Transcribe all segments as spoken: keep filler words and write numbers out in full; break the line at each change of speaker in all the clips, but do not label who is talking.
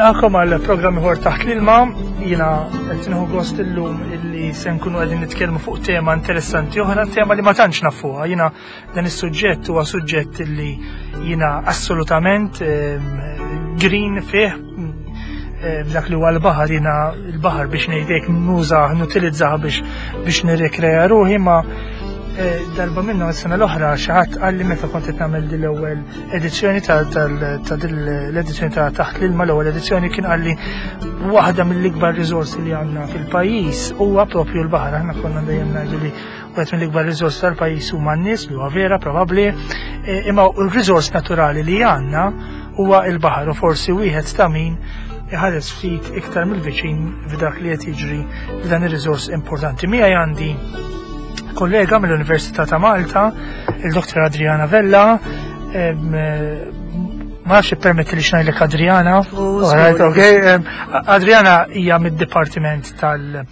Nilqagħkom għal programm ieħor Taħt l-Ilma. Jiena qed nieħu gost illum illi se nkunu qegħdin nitkellmu fuq tema interessanti oħra, tema li ma tantx nafuha. Jiena dan is-suġġett huwa suġġett illi jiena assolutament ehm, green fih ehm, dak li huwa l-baħar. Jiena l-baħar, biex ngħidlek, nuża, nutilizzah biex biex nirrekreja ruħi, ma eh, darba minnu s-sena l-oħra xi ħadd qalli, meta kont qed nagħmel din l-ewwel edizzjoni ta' ta' din l-edizzjoni ta' Taħt l-Ilma, l-ewwel edizzjoni, kien qalli waħda mill-ikbar riżorsi li għandna fil-pajjiż huwa propju l-baħar. Aħna konna dejjem ngħidu li wieħed mill-ikbar riżorsi tal-pajjiż huma n-nies, li huwa vera probabbli, eh, imma l-riżors naturali li għandna huwa l-baħar u forsi wieħed ta' min iħares ftit iktar mill-viċin f'dak li qed jiġri f'dan ir-riżors importanti. Miegħi għandi kollega mill-Università ta' Malta, il-Dottor Adriana Vella. em, eh, Ma nafx permetti li ngħidlek Adriana. Alright, okay. em, Adriana hija mid-Dipartiment tal-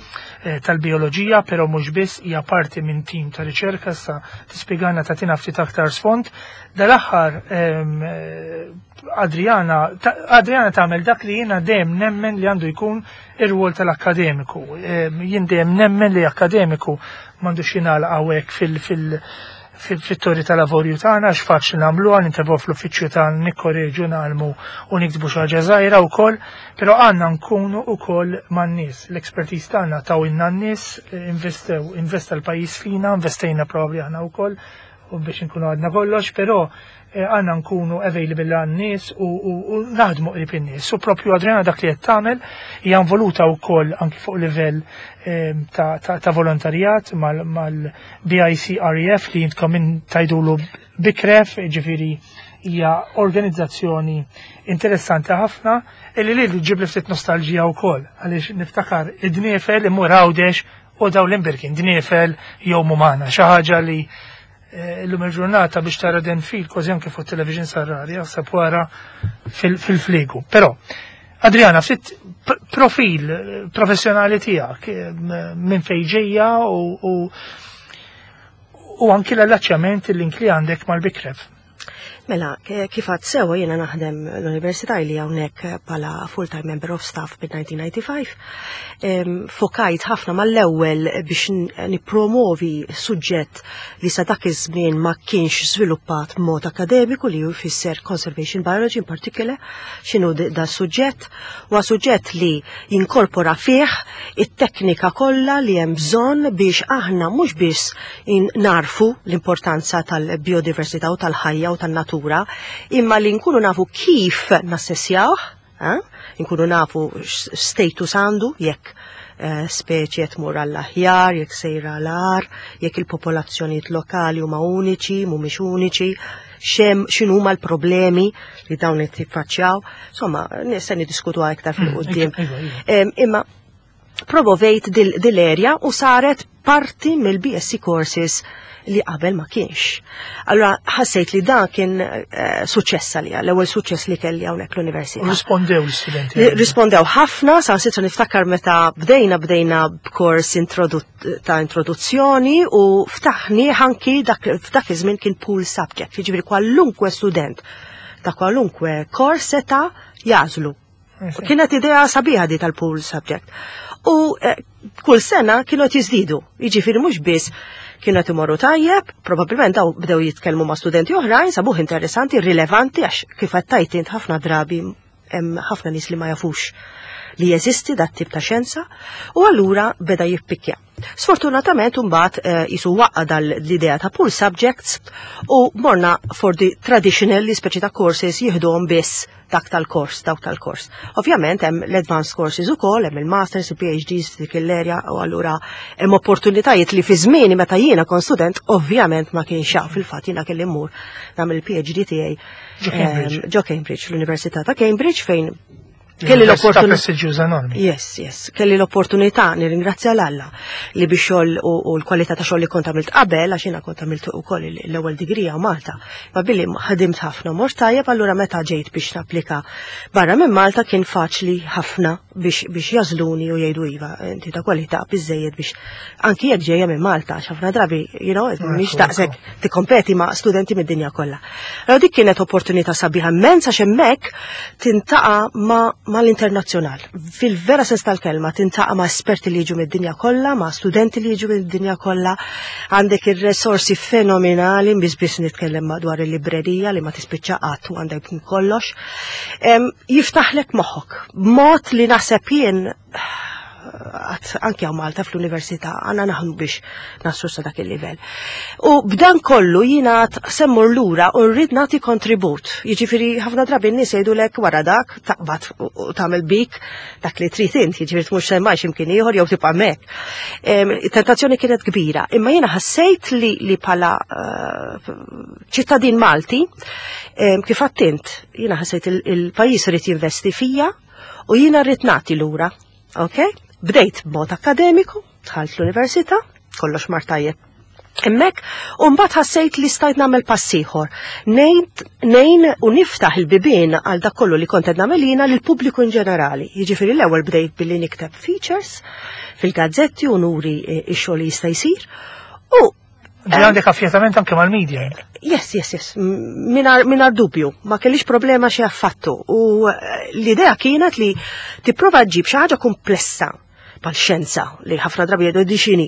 eh, tal-Bioloġija, però mhux biss, hija parti minn tim ta' riċerka, sa tispjegana, tagħtina ftit aktar sfond. Dal-aħħar em, eh, Adriana ta- Adriana tagħmel dak li jiena dejjem nemmen li għandu jkun ir-rwol tal-akkademiku. Em, Jien dejjem nemmen li akkademiku m'għandux jingħalaq hawnhekk fil- fil- fil-torri tal-avorju tagħna, għax faċli nagħmluha, nintefgħu fl-uffiċċju tagħna, nikkoreġu, nagħmlu u niktbu xi ħaġa żgħira wkoll, però għandna nkunu wkoll man-nies. L-expertise tagħna tawhielna n-nies, investew, investa l-pajjiż fina, investejna probabbli aħna wkoll u biex nkunu għadna kollox, però eh, għandna nkunu available għan-nies u, u, u naħdmu qrib in-nies. U propju Adriana dak li qed tagħmel, hija involuta wkoll anki fuq livell eh, ta', ta, ta' volontarjat mal-B I C R E F, li jintkom minn tgħidulu BICREF, ġifieri hija organizzazzjoni interessanti ħafna illi li ġib li ftit nostalġija wkoll, għaliex niftakar id-dniefel imur Għawdex u daw l-imbirkin dniefel jew mumana, xi ħaġa li eh, illum il-ġurnata biex tara denfil kważi anke fuq television sar rari, jaħseb wara fil-fliegu. Però, Adriana, ftit profil eh, professjonali tiegħek, eh, minn fejn ġejja u, u, u anki l-allaċċjament, il-link li għandek mal-BICREF.
Mela, kif għedt sewa, jiena naħdem l-Università li hawnhekk bħala full-time member of staff bil-elf disa' mija u disgħa u disgħin. Fokajt ħafna mal-ewwel biex nipromovi suġġett li sa dak iż-żmien ma kienx żviluppat mod akademiku, li jfisser conservation biology in particular. X'inhu da suġġett? Huwa suġġett li jinkorpora fih it-teknika kollha li hemm bżonn biex aħna mhux biss narfu l-importanza tal-biodiversità u tal-ħajja u tan-natura, imma li nkunu nafu kif nassessjawh, eh? Nkunu nafu status għandu, jekk eh, speċi qed tmur għall-aħjar, jekk sejra l-agħar, jekk il-popolazzjonijiet lokali huma uniċi, mhumiex uniċi, xem x'inhuma l-problemi li dawn qed jiffaċċjaw. Insomma, nista' niddiskutu aktar fil-qudiem.
Mm,
Imma promovejt dil-area u saret parti mill-B S C courses li qabel ma kienx. Allora ħassejt li dan kien uh, suċċess għalija, l-ewwel suċċess li kelli hawnhekk l-università.
Rispondew l-istudenti?
Rispondew ħafna, sa sitra niftakar meta bdejna bdejna b'kors ta' introduzzjoni u ftaħni anki dak f'dak iż-żmien kien pool subject, jiġifieri kwalunkwe student ta' kwalunkwe kors seta' jagħżlu. Kienet idea sabiħa di tal-pool subject. U eh, kull sena kienu qed jiżdiedu. Jiġifieri mhux biss kienu qed imorru tajjeb, probabbilment daw bdew jitkellmu ma' studenti oħrajn, sabuh interessanti, rilevanti, għax kif qed tajt int, ħafna drabi hemm ħafna nies li ma jafux li jeżisti dat tip ta' xjenza u allura beda jippikja. Sfortunatament mbagħad eh, jisu waqqa dal-idea ta' pool subjects u morna for the traditional, li speċi ta' courses jieħduhom biss dak tal-kors, dawk tal-kors. Ovvjament hemm l-advanced courses ukoll, hemm il-masters, il-P H Ds dik l-area u allura hemm opportunitajiet li fi żmieni meta jiena kont student ovvjament ma kienx hawn. Fil-fatt jiena kelli mmur nagħmel il-P H D tiegħi
Ġo Cambridge.
Ġo Cambridge, l-Università ta' Cambridge, fejn kelli l-opportunità
prestiġjuża enormi.
Yes, yes. Kelli l-opportunità, nirringrazzja l-Alla, li biex xogħol u, u l-kwalità ta' xogħol li kont għamilt qabel, għax jiena kont għamilt ukoll l-ewwel degree hawn Malta. Ma billi ħadimt ħafna mort tajjeb, allura meta ġejt biex napplika barra minn Malta kien faċli ħafna biex, biex jagħżluni u jgħidu: "Iva, inti ta' kwalità biżejjed biex anki jekk ġejja minn Malta", għax ħafna drabi, you know, mhix daqshekk tikkompeti ma' studenti mid-dinja kollha. Allora dik kienet opportunità sabiħa immens, għax hemmhekk tiltaqa' ma' mal-internazzjonal. Fil-vera sens tal-kelma, tiltaqa' ma' esperti li jiġu mid-dinja kollha, ma' studenti li jiġu mid-dinja kollha, għandek ir-resorsi fenomenali, biss biss nitkellem madwar il-librerija li ma tispiċċa qatt u għandek kollox. Em, Jiftaħlek moħħok, b'mod li naħseb jien għat anki hawn Malta fl-università għandna naħdmu biex naslu sa dak il-livell. U b'dan kollu jiena se mmur lura u rrid nagħti kontribut. Jiġifieri ħafna drabi n-nies jgħidulek wara dak taqbad u u tagħmel bik dak li trid int, jiġifieri tmur semmaj x'imkien ieħor jew tibqa' hemmhekk. Em, Tentazzjoni kienet kbira, imma jiena ħassejt li li bħala eh, ċittadin Malti, em, kif għedt int, jiena ħassejt il- il-pajjiż irid jinvesti fija u jiena rrid nagħti lura. Ok? Bdejt b'mod akademiku, dħalt l-università, kollox mar tajjeb. Hemmhekk, u mbagħad ħassejt li stajt nagħmel pass ieħor. Ngħin u niftaħ il-bibien għal dak kollu li kont qed nagħmel jiena lill-pubbliku in ġenerali. Jiġifieri l-ewwel bdejt billi nikteb features fil-gazzetti u nuri eh, ix-xogħol li jista' jsir. U
Ġi għandek affjatament anke mal-media.
Yes, yes, yes, mingħajr, mingħajr dubju, ma kellix problema xi affattu. U eh, l-idea kienet li tipprova ġġib xi ħaġa komplessa bħal xjenza li ħafna drabi jgħidu di x'inhi.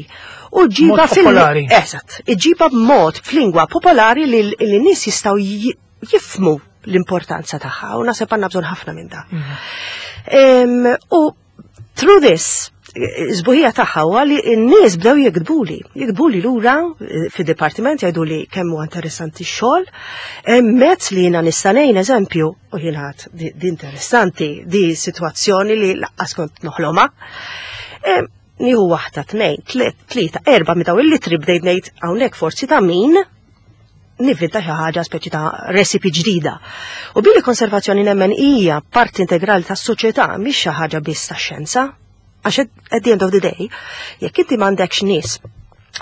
U ġġibha
Mod popolari.
Eżatt, iġġibha b'mod f'lingwa popolari li li n-nies jistgħu ji- jifhmu l-importanza tagħha u naħseb għandna bżonn ħafna minn da. Em, U through this, is-sbuħija tagħha huwa li n-nies bdew jiktbuli, jiktbuli lura eh, fid-dipartiment jgħidu li kemm huwa interessanti x-xogħol, hemm mezz li jiena nista' ngħin eżempju, u jiena għedt di, di interessanti, di sitwazzjoni li lanqas kont noħlomha. Em, Nieħu waħda, tnejn, tliet, tlieta, erba' minn daw il-ittri bdejt ngħid hawnhekk forsi ta' min nivvinta xi ħaġa speċi ta' recipe ġdida. U billi konservazzjoni nemmen hija parti integrali tas-soċjetà mhix xi ħaġa biss tax-xjenza. Għax at the end of the day, jekk inti m'għandekx nies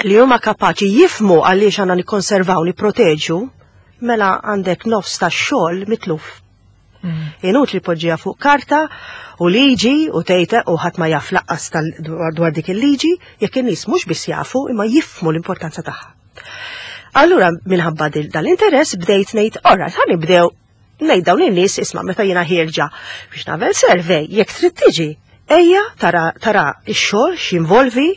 li huma kapaċi jifhmu għaliex għandna nikkonservaw, nipproteġu, mela għandek nofs tax-xogħol mitluf. Inutli poġġiha fuq karta u liġi u tejte u ħadd ma jaf lanqas tal- dwar dwar dik il-liġi, jekk in-nies mhux biss jafu imma jifhmu l-importanza tagħha. Allura minħabba dil- dal-interess bdejt ngħid, alright, ħa nibdew ngħid dawn in-nies isma' meta jiena ħierġa biex nagħmel survey, jekk trid tiġi, ejja tara tara x-xogħol x'involvi,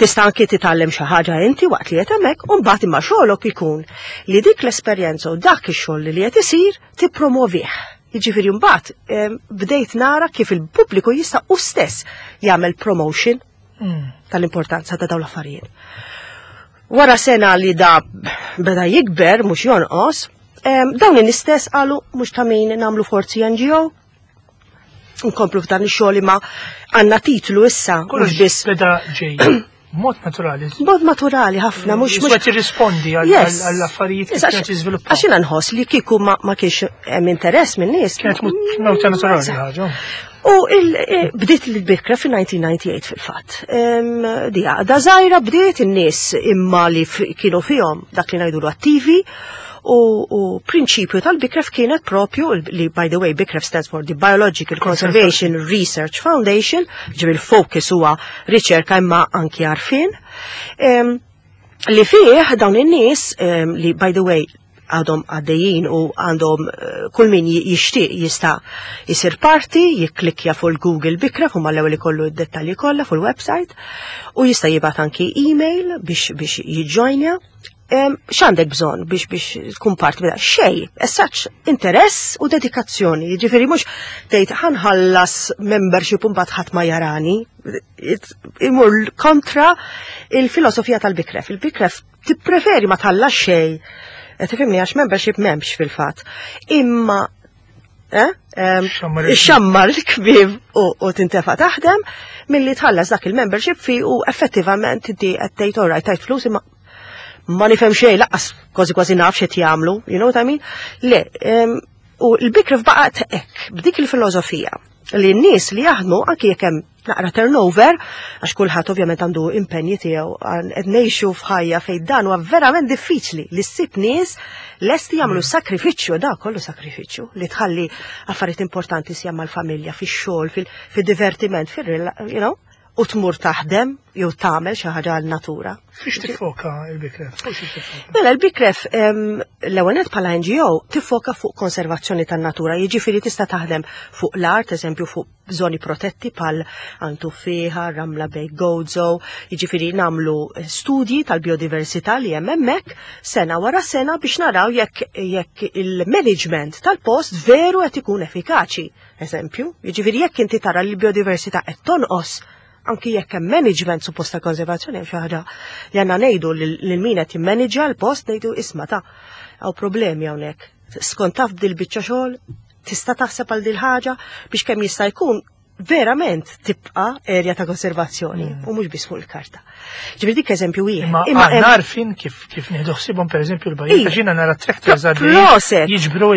tista' anki titgħallem xi ħaġa inti waqt li qed hemmhekk u mbagħad imma xogħolok ikun li dik l-esperjenza u dak ix-xogħol li qed isir tippromovih. Jiġifieri mbagħad em, bdejt nara kif il-pubbliku jista' u stess jagħmel promotion tal-importanza ta' dawn l-affarijiet. Wara sena li da beda jikber, mhux jonqos, em, dawn in-istess qalu mhux ta' min nagħmlu forzi N G O, nkomplu f'dan ix-xogħol imma għandna titlu issa, mhux
Kollox
biss.
beda ġej. Mod naturali.
Mod naturali ħafna, mhux mhux
Mhux tirrispondi
Yes.
għall-affarijiet kif
Yes,
kienet jiżviluppaw.
Għax jiena nħoss li kieku ma, ma kienx hemm interess minn nies.
Kienet mewta naturali ħaġa.
U il, eh, bdiet l-BICREF fil-elf disa' mija u disgħa u disgħin fil-fatt. Em, Di għaqda żgħira bdiet in-nies imma li f- kienu fihom dak li ngħidulu attivi u, u prinċipju tal-BICREF kienet propju li, by the way, BICREF stands for the Biological Conservation Research Foundation, ġifieri il-focus huwa riċerka imma anki għarfien. Em, li fih dawn in-nies em, li, by the way, għadhom għaddejjin u għandhom eh, kull min ji- jixtieq jista' jisir parti, jikklikja fuq il-Google BICREF u mal-ewwel ikollu d-dettalji kollha fuq il-website u jista' jibgħat anki email biex biex jiġġojnja. Em, X'għandek bżonn biex biex tkun parti minn xej, as such interess u dedikazzjoni. Jiġifieri mhux tgħid ħa nħallas membership u mbagħad ħadd ma jarani. It- Imur kontra il-filosofija tal-BICREF. Il-BICREF tippreferi ma tħallas xej. Eh, Tifhimni, għax membership m'hemmx fil-fatt. Imma eh, em,
Xammar il-
xammar il-kbib u, u tintefa taħdem milli tħallas dak il-membership fee u effettivament inti qed tgħid, alright, tajt flus imma ma nifhem xejn, lanqas kważi kważi naf x'qed jagħmlu, you know what I mean? Le, em, u l-BICREF baqgħet hekk b'dik il-filosofija li n-nies li jaħdmu, anki jekk hemm naqra turnover, għax kulħadd ovvjament għandu impenji tiegħu, għan- qed ngħixu f'ħajja fejn dan huwa verament diffiċli li ssib nies lesti jagħmlu sakrifiċċju, da kollu sakrifiċċju li tħalli affarijiet importanti sija mal-familja, fix-xogħol, fil-divertiment, fil you know, u tmur taħdem jew tagħmel xi ħaġa għal-natura.
Fiex tiffoka il-BICREF? Fuq xiex tiffoka?
Mela l-BICREF l-ewwel nett bħala N G O tiffoka fuq konservazzjoni tan-natura, jiġifieri tista' taħdem fuq l-art, eżempju fuq żoni protetti bħal Għajn Tuffieħa, Ramla Bay, Gozo, jiġifieri nagħmlu studji tal-biodiversità li hemm hemmhekk sena wara sena biex naraw jekk jekk il-management tal-post veru qed ikun effikaċi. Eżempju, jiġifieri jekk inti tara li l-biodiversità qed tonqos, anki jekk hemm management supposta konservazzjoni, hemm xi ħaġa li għandna ngħidu lil min qed jimmanġa l-post, ngħidu, "Isma' ta' hawn problemi hawnhekk. Skont taf dil biċċa xogħol, tista' taħseb għal dil ħaġa biex kemm jista' jkun verament tibqa' erja ta' konservazzjoni mm. u mhux biss fuq il-karta." Ġifieri dik eżempju wieħed.
Imma aħna għarfin kif kif nieħdu ħsiebhom, pereżempju, l-bajjiet, għax jiena nara tractors għaddejjin jiġbru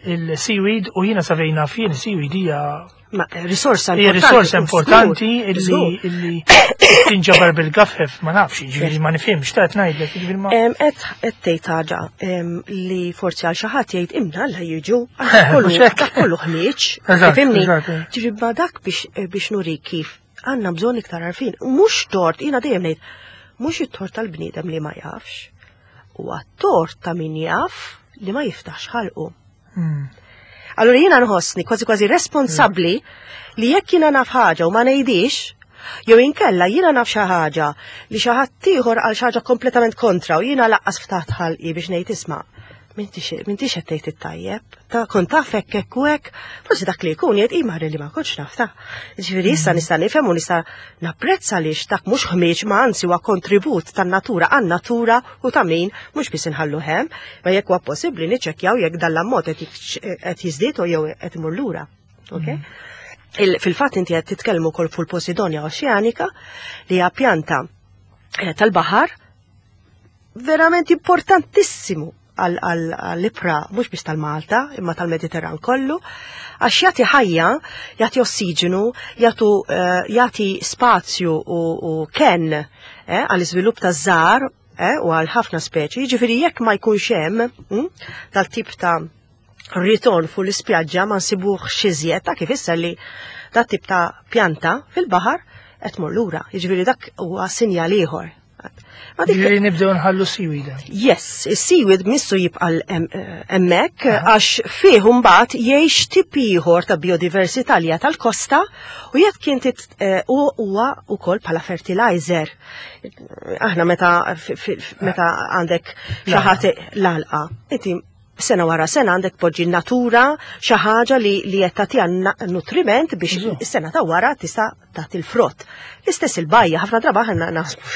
il-seaweed u jiena sa fejn naf jien seaweed hija
Ma risorsa
Hija risorsa importanti illi tinġabar bil-gaffef, ma nafx, ġifieri ma nifhimx, ta' ngħidlek, ġifieri ma.
Qed qed tgħid ħaġa li forsi għal xi ħadd jgħid, "Imma Alla jiġu, dak kollu ħmieġ", tifhimni? Ġifieri ma dak biex nuri kif għandna bżonn iktar għarfien. Mhux tort, jiena dejjem ngħid, mhux it-tort tal-bniedem li ma jafx, huwa tort ta' min jaf li ma jiftax ħalqu. Hmm. Allura jiena nħossni kważi kważi responsabbli li jekk jiena naf ħaġa u ma ngħidix, jew inkella jiena naf xi ħaġa li xi ħadd ieħor għal xi ħaġa kompletament kontra u jiena lanqas ftaħt ħalqi biex ngħid, "Isma', m'intix qed tgħid it-tajjeb, ta' kont taf hekk hekk u hekk", forsi dak li jkun jgħid, "Imma li ma kontx naf ta'. Ġifieri issa nista' nifhem u nista' napprezza li dak mhux ħmieġ ma anzi huwa kontribut tan-natura għan-natura u ta' min mhux biss inħallu hemm, ma jekk huwa possibbli niċċekkjaw jekk dan l-ammont qed jiżdied jew qed imur lura. Okay? Fil-fatt inti qed titkellmu wkoll fuq il-Posidonia oceanica li hija pjanta eh, tal-baħar verament importantissimu għall-ibħra mhux biss tal-Malta, imma tal-Mediterran kollu, għax jagħti ħajja, jagħti ossiġenu, jagħtu eh, jagħti spazju u, u ken eh, għall-iżvilupp taż-żgħar eh, u għal ħafna speċi, ġifieri jekk ma jkunx hemm mm, tal-tip ta' ritorn fuq l-ispjaġġa ma nsibuh iżjed ta' kif issa li dat tip ta' pjanta fil-baħar qed tmur lura. Jiġifieri dak huwa sinjal ieħor.
Ma dik Ġifieri nibdew nħallu seaweed.
Yes, is-seaweed missu jibqa' hemmhekk għax fih mbagħad jgħix tip ieħor ta' biodiversità li hija tal-kosta u jekk kien tit- eh, u huwa wkoll bħala fertilizer. Aħna meta fi- fi- meta għandek xi ħadd l-għalqa, inti sena wara sena għandek poġġi natura xi ħaġa li li qed tagħtiha na- nutriment biex
Eżatt.
is-sena ta' wara tista' tagħti l-frott. L-istess il-bajja, ħafna drabi aħna naħsbu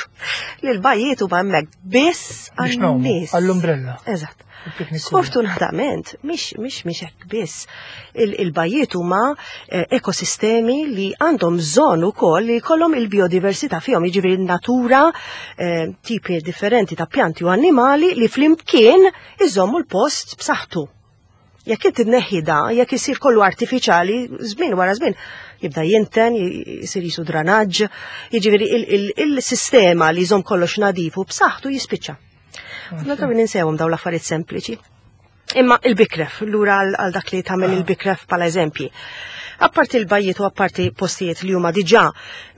li l-bajjiet huma hemmhekk biss
Biex ngħumu,
għan-nies.
għall-umbrella.
Eżatt.
Il-picnic.
Sfortunatament, mhix mhix mhix hekk biss. Il- Il-bajjiet huma eh, ekosistemi li għandhom bżonn ukoll li jkollhom il-biodiversità fihom, jiġifieri natura, eh, tipi differenti ta' pjanti u annimali li flimkien iżommu l-post b'saħħtu. Jekk inti tneħħi da, jekk isir kollu artifiċjali, żmien wara żmien, jibda jinten, jisir jisu dranaġġ, jiġifieri il- il- il-sistema li jżomm kollox nadif u b'saħħtu jispiċċa. Ħafna drabi ninsewhom dawn l-affarijiet sempliċi. Imma il-BICREF, lura għal għal dak li tagħmel il-BICREF bħala eżempji. Apparti il-bajjiet u apparti postijiet li huma diġà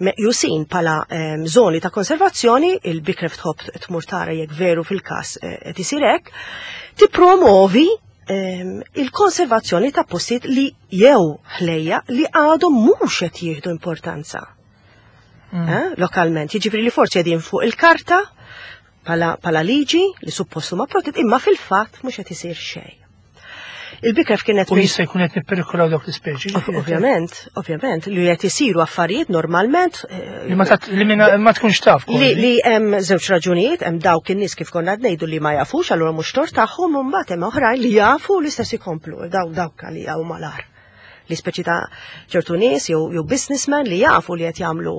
meqjusin bħala em, zoni ta' konservazzjoni, il-BICREF tħobb tmur tara jekk veru fil-każ eh, qed isir hekk, tippromovi em, il-konservazzjoni ta' postijiet li jew ħlejja li għadhom mhux qed jieħdu importanza eh, lokalment. Jiġifieri li forsi qegħdin fuq il-karta bħala, bħala liġi li suppost huma protett, imma fil-fatt mhux qed isir xejn. Il-BICREF kienet
U jista' jkun qed nipperikolaw dawk l-ispeċi.
Ov- Ovvjament, ovvjament, li qed isiru affarijiet normalment eh,
Li ma tat- li minna- ma tkunx taf.
li,
kważi.
li hemm żewġ raġunijiet, hemm dawk in-nies kif konna qed ngħidu li ma jafux, allura mhux tort tagħhom, u mbagħad hemm oħrajn li jafu l-istess ikomplu, daw dawk li hawn malar. Li speċi ta' ċertu nies jew jew businessmen li jafu li qed jagħmlu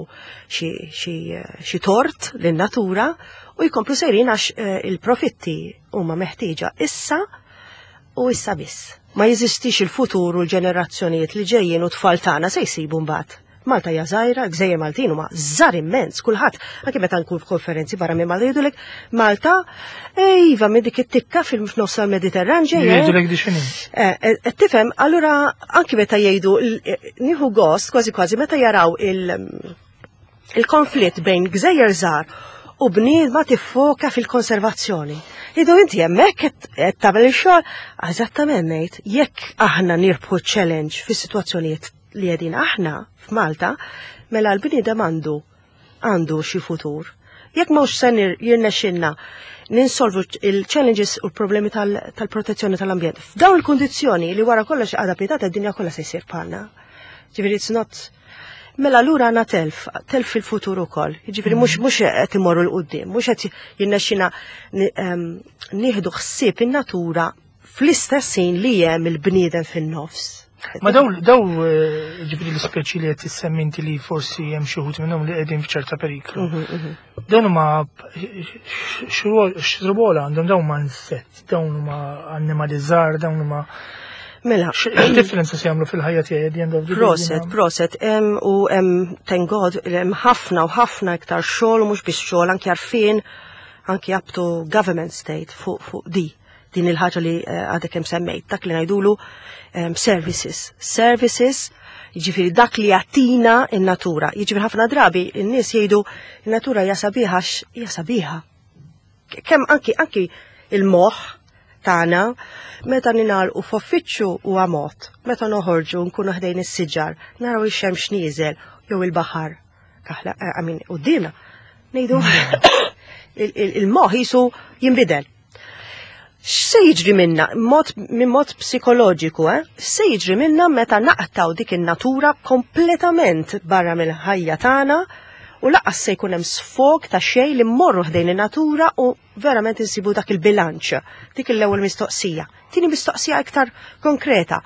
xi xi xi tort lin-natura u jkomplu sejrin għax eh, il-profitti huma meħtieġa issa u issa biss. Ma jeżistix il-futur u l-ġenerazzjonijiet li ġejjin u tfal tagħna se jsibu mbagħad. Malta hija żgħira, gżejjer Maltin huma żgħar immens, kulħadd, anke meta nkun f'konferenzi barra minn Malta jgħidulek Malta, iva minn dik it-tikka fil-nofs tal-Mediterran ġejja.
Jgħidulek di x'inhi.
Eh, eh, tifhem, allura anki meta jgħidu nieħu gost kważi kważi meta jaraw il-konflitt bejn gżejjer żgħar u bniedma tiffoka fil-konservazzjoni. Idu inti hemmhekk qed tagħmel ix-xogħol, eżattament ngħid, jekk aħna nirbħu challenge fis-sitwazzjonijiet li qegħdin aħna f'Malta, mela l-bniedem għandu għandu xi futur. Jekk mhux se jirnexxinna ninsolvu il-challenges u l-problemi tal-protezzjoni tal-ambjent. F'dawn il-kondizzjoni li wara kollox għada pitgħada d-dinja kollha se jsir bħalna. Ġifieri it's not. Mela lura għandna telf, telf fil-futur ukoll. Jiġifieri mhux mhux qed imorru 'l quddiem, mhux qed jirnexxina nieħdu ħsieb in-natura fl-istess ħin li hemm il-bniedem fin-nofs.
Ma daw, daw eh, ġifieri l-ispeċi li qed tissemmi inti li forsi hemm xi wħud minnhom li qegħdin f'ċerta periklu.
Mhm, mhm.
Dawn huma x'rwol għandhom dawn huma insett, dawn huma annimali żgħar, dawn huma
Mela,
x'differenza se jagħmlu fil-ħajja tiegħi at the end of the day?
Proset,
jiena?
proset, em, u em, thank God, hemm ħafna u ħafna iktar xogħol u mhux biex xogħol anki għarfien, anki up to government state fuq fuq di din il-ħaġa li eh, għadek kemm semmejt, dak li ngħidulu em, services. Services, jiġifieri dak li jagħtina in-natura. Jiġifieri ħafna drabi in-nies jgħidu in-natura hija sabiħa għax hija sabiħa. Kemm anki anki il-moħħ tagħna meta ningħalqu f'uffiċċju huwa mod, meta noħorġu nkunu ħdejn is-siġar, naraw ix-xemx nieżel jew il-baħar. Kaħla, eh, I mean, quddiemna. Ngħidu il- il- il-moħħ jisu jinbidel. X'se jiġri minna, mod, minn mod psikoloġiku, eh? X'se jiġri minna meta naqtaw dik in-natura kompletament barra mill-ħajja tagħna u lanqas se jkun hemm sfog ta' xejn li mmorru ħdejn in-natura u verament insibu dak il-bilanċ. Dik l-ewwel mistoqsija. Tieni mistoqsija iktar konkreta.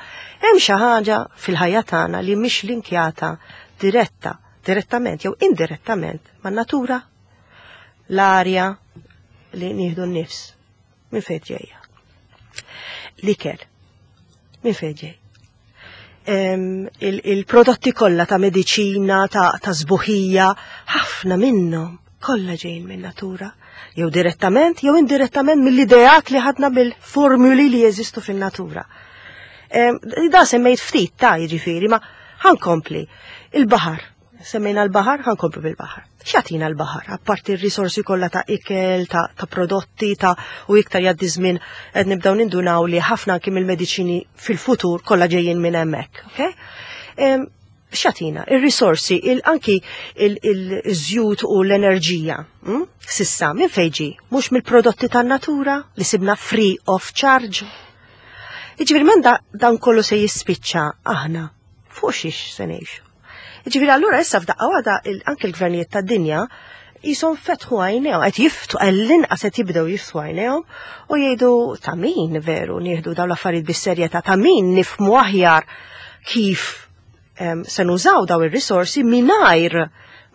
Hemm xi ħaġa fil-ħajja tagħna li mhix linkjata diretta, direttament jew indirettament man-natura, l-arja li nieħdu n-nifs. Minn fejn ġejja? L-ikel. Minn fejn ġej? Em, il- Il-prodotti kollha ta' mediċina, ta', ta' sbuħija, ħafna minnhom kollha ġejjin minn natura. Jew direttament, jew indirettament mill-ideat li ħadna mill-formuli li jeżistu fin-natura. Em, Da semmejt ftit ta' jiġifieri, ma ħa nkompli. Il-baħar. Semmejna l-baħar, ħa nkompli bil-baħar. X'jagħtina l-baħar? Apparti r-risorsi kollha ta' ikel, ta', ta' prodotti, ta' u iktar jgħaddi żmien qed nibdew nindunaw li ħafna anki mill-mediċini fil-futur kollha ġejjin minn hemmhekk, okay? Em, X'jagħtina? Ir-risorsi, il anki il-żjut u l-enerġija. mm? Sissa, minn fejn ġie? Mhux mill-prodotti tan-natura li sibna free of charge. Jiġifieri menda dan kollu se jispiċċa aħna fuq xiex se ngħixu. Jiġifieri allura issa f'daqqa waħda il- anke l-gvernijiet tad-dinja jisom fetħu għajnejhom, qed jiftu għall-inqas qed jibdew jiftu għajnejhom u jgħidu ta' min veru nieħdu dawn l-affarijiet bis-serjetà, ta' min nifhmu aħjar kif em, se nużaw daw ir-risorsi mingħajr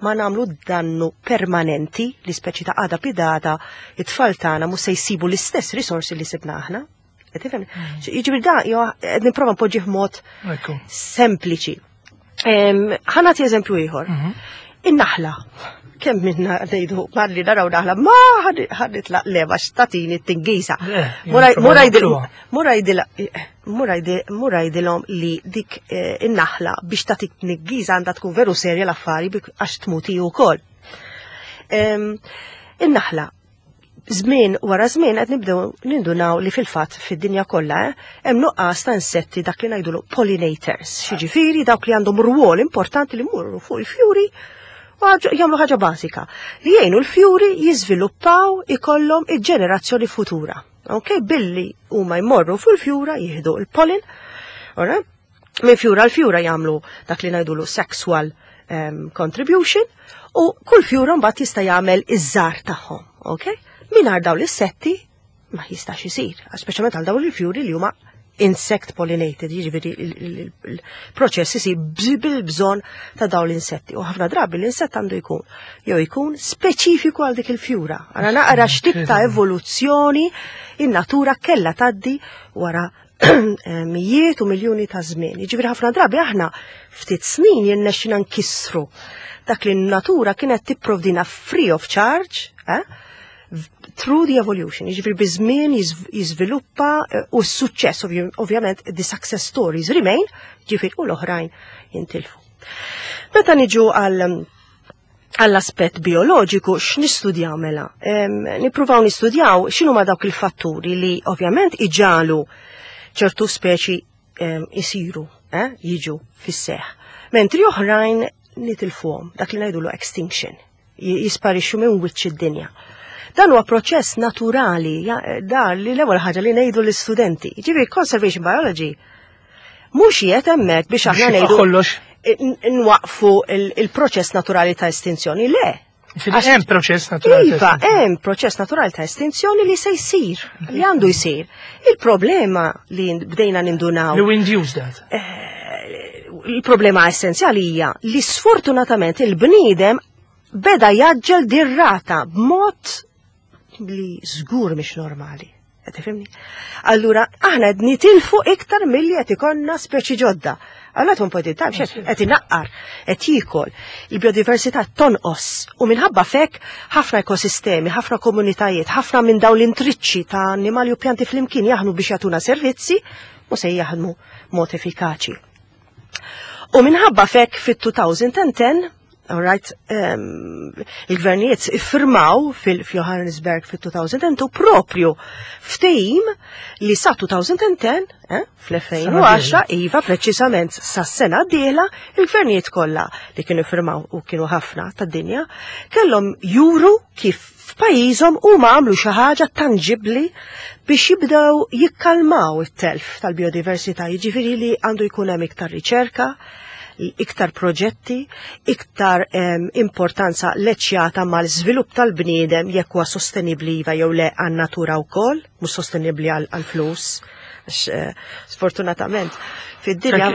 ma nagħmlu dannu permanenti li speċi ta' għada pitgħada it-tfal tagħna mhux se jsibu l-istess risorsi li sibna aħna. Qed tifhem? Jiġifieri da jo qed nipprova npoġġih mod
Ekku.
sempliċi. Em, Ħa nagħti eżempju ieħor.
Mhm.
In-naħla. Kemm minna ngħidu malli naraw naħla, ma ħa nitlaq leva x'tatini t-tingiża.
Eh, jien
Mur għidilhom li dik eh, in-naħla biex tatik tniggiża għandha tkun veru serja l-affari bik- għax tmuti wkoll. Em, In-naħla żmien wara żmien qed nibdew nindunaw li fil-fatt fid-dinja kollha eh, hemm nuqqas ta' insetti dak li ngħidulu pollinators. Xiġifieri dawk li għandhom rwol importanti li jmorru fuq il-fjuri u ħaġa- jagħmlu ħaġa bażika li jgħinu l-fjuri jiżviluppaw ikollhom il-ġenerazzjoni futura. Ok, billi huma jmorru fuq il-fjura jieħdu il-pollen, ora, minn fjura l-fjura jagħmlu dak li ngħidulu sexual um, contribution u kull fjura mbagħad jista' jagħmel iż-żgħar tagħhom, ok? Mingħajr dawn l-insetti ma jistax isir, speċjalment għal dawn il-fjuri li huma Insect pollinated, jiġifieri il-proċess isir bil-bżonn ta' dawn l-insetti. U ħafna drabi l-insett għandu jkun jew jkun speċifiku għal dik il-fjura. Għara naqra x'tip ta' evoluzzjoni in-natura kella tgħaddi wara mijiet u miljuni ta' żmien. Jiġifieri ħafna drabi aħna ftit snin jirnexxina nkissru dak li n-natura kienet tipprovdina free of charge, eh? through the evolution, jiġifieri biż-żmien jiżviluppa eh, u s-suċċess ovvjament the success stories remain, jiġifieri u l-oħrajn jintilfu. Meta niġu għal għall-aspett bioloġiku x'nistudjaw mela? Nippruvaw nistudjaw x'inhu ma dawk il-fatturi li ovvjament iġagħlu ċertu speċi isiru, eh, jiġu fis-seħ. Mentri oħrajn nitilfuhom, dak li ngħidulu extinction, jisparixxu minn wiċċ id-dinja. Dan huwa proċess naturali, dar li l-ewwel ħaġa li ngħidu l-istudenti. Ġifieri conservation biology mhux qiegħed hemmhekk biex aħna ngħidu nwaqfu il-proċess naturali ta' estinzjoni. Le.
Hemm proċess naturali.
Iva, hemm proċess naturali ta' estinzjoni li se jsir, li għandu jsir. Il-problema li bdejna nindunaw.
Li induce that.
Eh, il-problema essenzjali hija li sfortunatament il-bniedem beda jgħaġġel dir-rata b'mod li żgur mhix normali. Tifhimni? Allura, aħna qed nitilfu iktar milli qed ikollna speċi ġodda. Allura tkun point in time, qed inaqqar, qed jiekol, il-biodiversità tonqos u minħabba fek ħafna ekosistemi, ħafna komunitajiet, ħafna minn dawn l-intriċċi ta' annimali u pjanti flimkien jaħdmu biex jagħtuna servizzi u se jaħdmu mod effikaċi. U minħabba fek fit-elfejn u għaxra All right, um, il-gvernijiet iffirmaw fil-Johannesburg fil-elfejn u tnejn propju ftehim li sa elfejn u għaxra, eh, fl-elfejn u għaxra, iva preċisament sa sena d-dieħla, il-gvernijiet kollha li kienu firmaw u kienu ħafna tad-dinja, kellhom juru kif f'pajjiżhom huma għamlu xi ħaġa tanġibli biex jibdew jikkalmaw it-telf tal-biodiversità, jiġifieri li għandu jkun hemm iktar riċerka, iktar proġetti, iktar um, importanza leċjata mal-żvilupp tal-bniedem jekk huwa sostenibbli iva jew le għan-natura wkoll, mhux sostenibbli għal-flus. Eh, sfortunatament fid-dinja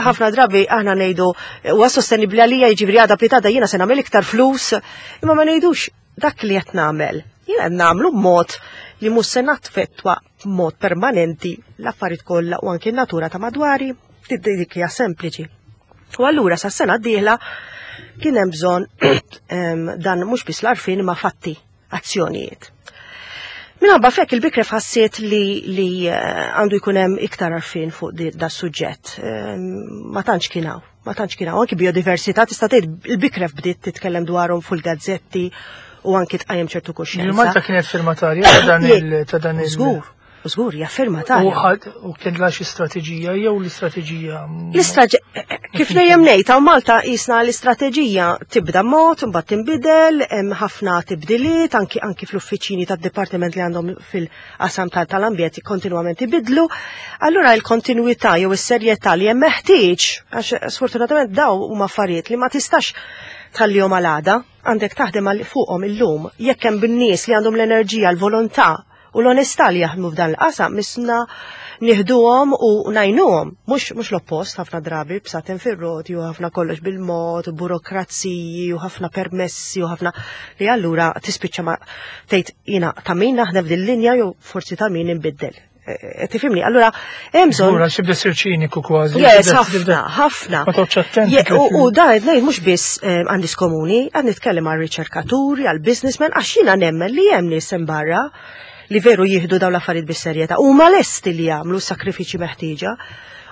ħafna drabi aħna ngħidu huwa sostenibbli għalija jiġifieri għada pitgħada jiena se nagħmel iktar flus, imma ma ngħidux dak li qed nagħmel. Jiena qed nagħmlu b'mod li mhux se naffettwa b'mod permanenti l-affarijiet kollha u anke n-natura ta' madwari dik hija sempliċi. U allura sa sena d-dieħla kien hemm bżonn dan mhux biss l-għarfien ma fatti, azzjonijiet. Minħabba fek il-BICREF ħassiet li, li eh, għandu jkun hemm iktar għarfien fuq da suġġett. Ma tantx kien hawn, ma tantx kien hawn. Anki biodiversità tista' tgħid il-BICREF bdiet titkellem dwarhom fuq il-gazzetti u anki tqajjem ċertu kuxjenza.
Malta kienet firmatarja ta' dan il ta' dan il
Żgur. Żgur, hija firmatarja.
U kellha xi strateġija jew l-istrateġija?
L-istrateġija, kif dejjem ngħid, hawn Malta jisna l-istrateġija tibda mod, imbagħad tinbidel, hemm ħafna tibdiliet, anki anki fl-uffiċini tad-dipartiment li għandhom fil-qasam tal-ambjent kontinwament ibidlu. Allura l-kontinwità jew is-serjetà li hemm meħtieġ, għax sfortunatament daw huma affarijiet li ma tistax tħallihom għal għada, għandek taħdem fuqhom illum, jekk hemm bin-nies li għandhom l-enerġija, l-volontà u l-onestà li jaħdmu f'dan il-qasam misna nieħduhom u ngħinuhom, mhux mhux l-oppost ħafna drabi bsaten fir-roti u ħafna kollox bil-mod, u burokraziji u ħafna permessi u ħafna li allura tispiċċa ma tgħid jiena ta' min naħdem f'din linja jew forsi ta' min inbiddel. E, e, tifhimni, allura hemm bżonn.
Allura xibda sir ċiniku kważi.
Yes, ħafna, ħafna.
Ma toqgħodx attenti.
U da qed ngħid mhux biss eh, għan-nies komuni, qed nitkellem għal riċerkaturi, għal businessmen, għax jiena nemmen li hemm nies barra li veru jieħdu dawn l-affarijiet bis-serjetà u ma lesti li jagħmlu sakrifiċi meħtieġa.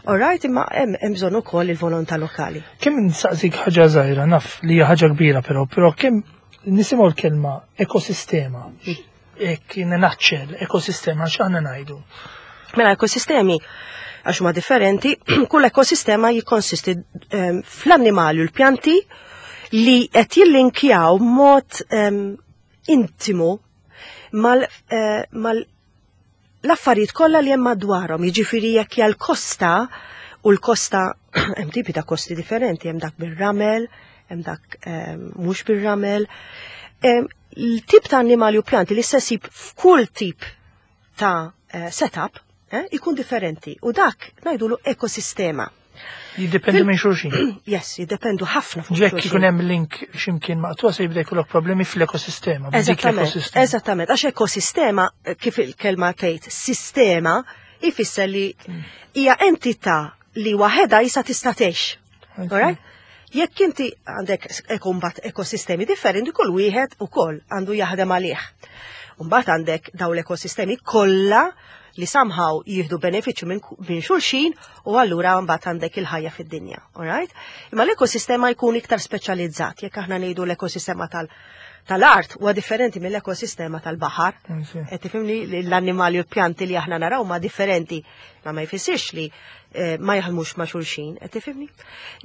All right, imma hemm bżonn ukoll il-volontà lokali.
Kemm nsaqsik ħaġa żgħira, naf li hija ħaġa kbira però, però kemm nisimgħu l-kelma ekosistema, hekk naċċel, ekosistema x'aħna ngħidu?
Mela ekosistemi għax huma differenti, kull ekosistema jikkonsisti um, fl-annimali u l-pjanti li qed jillinkjaw mod um, intimu mal, uh, mal l-affarijiet kollha li hemm madwarhom, jiġifieri jekk hija l-kosta u l-kosta hemm tipi ta' kosti differenti, hemm dak bir-ramel, hemm dak mhux bir-ramel. Il-tip ta' annimali u pjanti li se ssib f'kull tip ta' eh, setup eh, ikun differenti. U dak ngħidulu ekosistema.
Jiddependu minn xulxin.
Yes, jiddependu ħafna fuq
Jekk
xulxin.
ikun hemm link x'imkien maqtuwa se jibda jkollok problemi fl-ekosistema. B'dik
Eżattament,
l-ekosistema.
eżattament, għax ekosistema, eh, kif il-kelma tgħid, sistema, ifisser li hija entità li waħedha jisa tista' tgħix. Alright? Jekk inti għandek mbagħad ekosistemi differenti, kull wieħed ukoll għandu jaħdem għalih. Mbagħad għandek daw l-ekosistemi kollha li somehow jieħdu benefiċċju minn minn xulxin u allura mbagħad għandek il-ħajja fid-dinja, alright? Imma l-ekosistema jkun iktar speċjalizzat, jekk aħna ngħidu l-ekosistema tal tal-art huwa differenti mill-ekosistema tal-baħar. Qed tifhimni li l-annimali u l-pjanti li aħna naraw ma differenti, ma ma jfissirx li eh, ma jaħdmux ma' xulxin, qed tifhimni?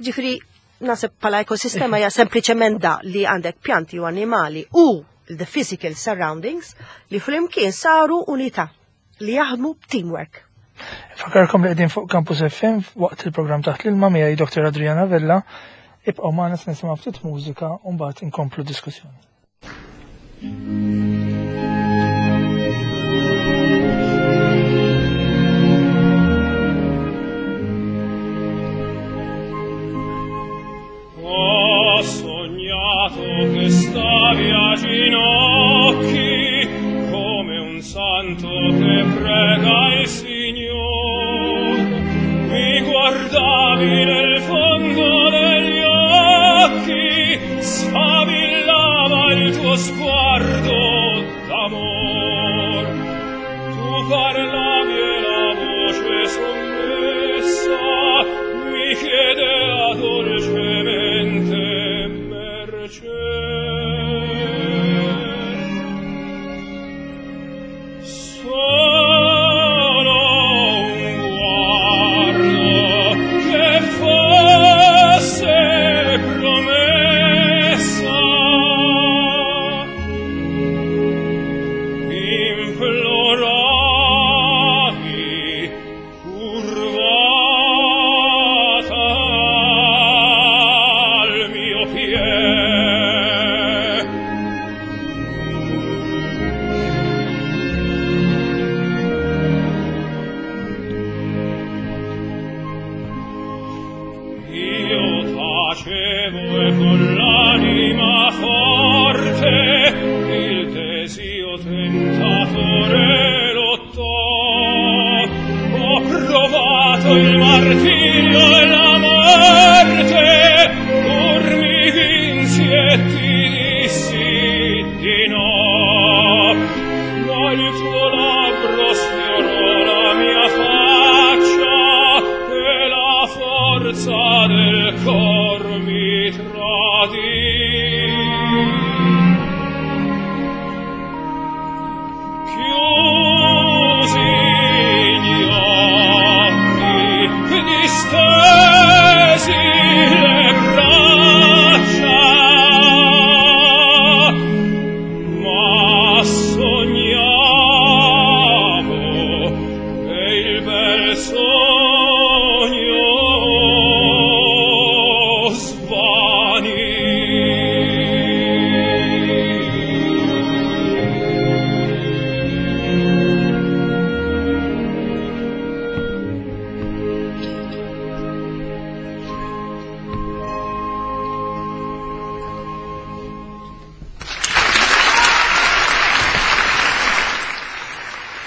Ġifieri naħseb bħala ekosistema hija sempliċement da li għandek pjanti u annimali u the physical surroundings li flimkien saru unità li jaħdmu teamwork.
Fakkarkom li qegħdin fuq Campus F M waqt il-programm Taħt l-Ilma miegħi Doktor Adriana Vella. Ibqgħu magħna, se nisimgħu ftit mużika u mbagħad inkomplu diskussjoni.
Ho sognato che stavi a ginocchi come un santo che prega il Signor. Mi guardavi nel fondo degli occhi, sfavillava il tuo sguardo d'amor. Tu parlavi e la voce sommessa mi chiedeva dolcemente mercé. Solo un guardo che fosse promessa. Imploravi curvata al mio piede. Io tacevo e con l'anima forte il desio tentatore lottò. Ho provato il martirio e la morte, pur mi vinsi e ti dissi di no. Ma il tuo labbro sfiorò la mia faccia e la forza del cor mi tradì. Chiusi gli occhi, distesi le braccia, ma sognavo e il bel sogno svanì.